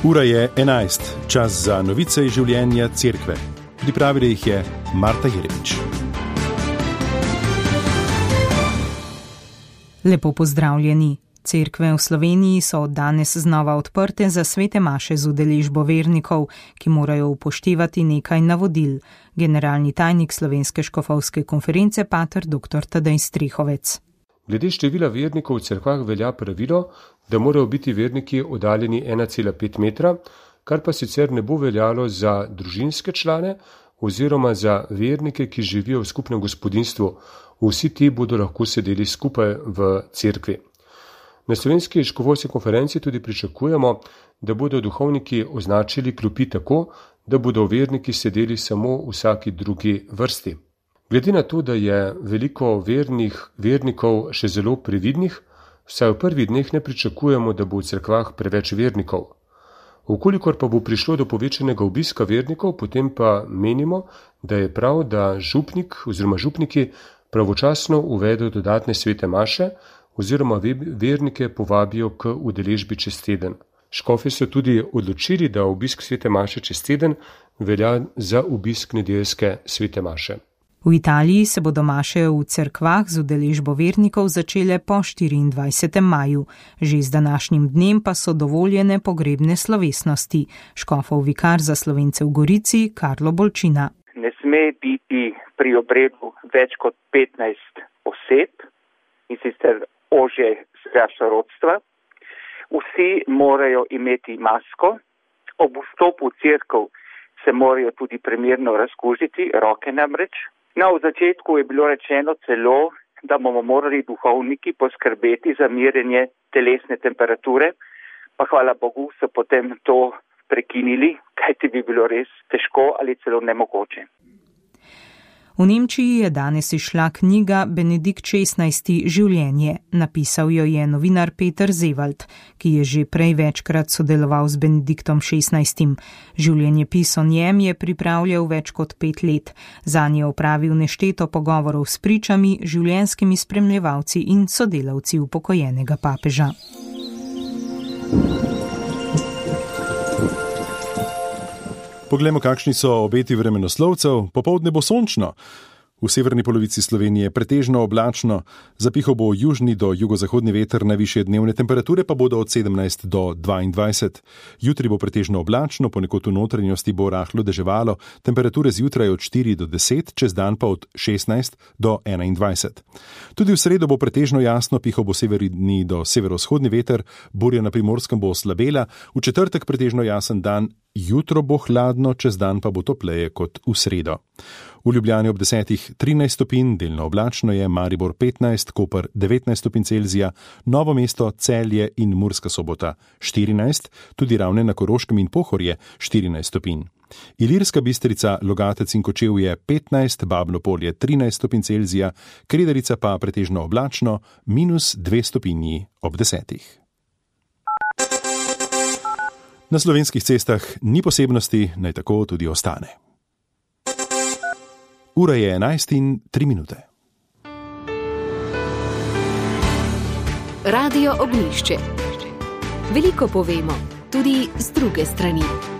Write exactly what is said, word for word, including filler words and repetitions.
Ura je enajst, čas za novice iz življenja cerkve. Pripravila jih je Marta Jeremič. Lepo pozdravljeni. Cerkve v Sloveniji so od danes znova odprte za svete maše z udeležbo vernikov, ki morajo upoštevati nekaj navodil. Generalni tajnik Slovenske škofovske konference pater doktor Tadej Strehovec. Glede števila vernikov v cerkvah velja pravilo, da morajo biti verniki oddaljeni ena cela pet metra, kar pa sicer ne bo veljalo za družinske člane oziroma za vernike, ki živijo v skupnem gospodinjstvu. Vsi ti bodo lahko sedeli skupaj v cerkvi. Na Slovenski škofovski konferenci tudi pričakujemo, da bodo duhovniki označili klopi tako, da bodo verniki sedeli samo v vsaki drugi vrsti. Glede na to, da je veliko vernih vernikov še zelo previdnih, vsaj v prvih dneh ne pričakujemo, da bo v cerkvah preveč vernikov. Vkolikor pa bo prišlo do povečanega obiska vernikov, potem pa menimo, da je prav, da župnik oziroma župniki pravočasno uvedejo dodatne svete maše oziroma vernike povabijo k udeležbi čez teden. Škofi so tudi odločili, da obisk svete maše čez teden velja za obisk nedeljske svete maše. V Italiji se bodo maše v cerkvah z udeležbo vernikov začele po štiriindvajsetem maju. Že z današnjim dnem pa so dovoljene pogrebne slovesnosti. Škofov vikar za Slovence v Gorici Karlo Bolčina. Ne sme biti pri obredu več kot petnajst oseb, in sicer ožje sorodstva. Vsi morajo imeti masko. Ob vstopu v cerkev se morajo tudi primerno razkužiti, roke namreč. No, v začetku je bilo rečeno celo, da bomo morali duhovniki poskrbeti za merjenje telesne temperature, pa hvala Bogu so potem to prekinili, kajti bi bilo res težko ali celo nemogoče. V Nemčiji je danes izšla knjiga Benedikt šestnajsti Življenje. Napisal jo je novinar Peter Zevald, ki je že prej večkrat sodeloval z Benediktom šestnajstim. Življenjepis o njem je pripravljal več kot pet let. Zanj je opravil nešteto pogovorov s pričami, življenjskimi spremljevalci in sodelavci upokojenega papeža. Poglejmo, kakšni so obeti vremenoslovcev. Popoldne bo sončno. V severni polovici Slovenije pretežno oblačno, zapihal bo južni do jugozahodni veter, najvišje dnevne temperature pa bodo od sedemnajst do dvaindvajset. Jutri bo pretežno oblačno, ponekod v notranjosti bo rahlo deževalo, temperature zjutraj od štiri do deset, čez dan pa od šestnajst do enaindvajset. Tudi v sredo bo pretežno jasno, pihal bo severni do severovzhodni veter, burja na Primorskem bo oslabela, v četrtek pretežno jasen dan, jutro bo hladno, čez dan pa bo topleje kot v sredo. V Ljubljani ob desetih trinajst stopinj, delno oblačno je, Maribor petnajst, Koper devetnajst stopinj Celzija, Novo mesto, Celje in Murska Sobota štirinajst, tudi Ravne na Koroškem in Pohorje štirinajst stopinj. Ilirska Bistrica, Logatec in Kočevje petnajst, Babno Polje trinajst stopinj Celzija, Kredarica pa pretežno oblačno, minus dve stopinji ob desetih. Na slovenskih cestah ni posebnosti, naj tako tudi ostane. Ura je enajst in tri minute. Radio Ognjišče. Veliko povemo, tudi z druge strani.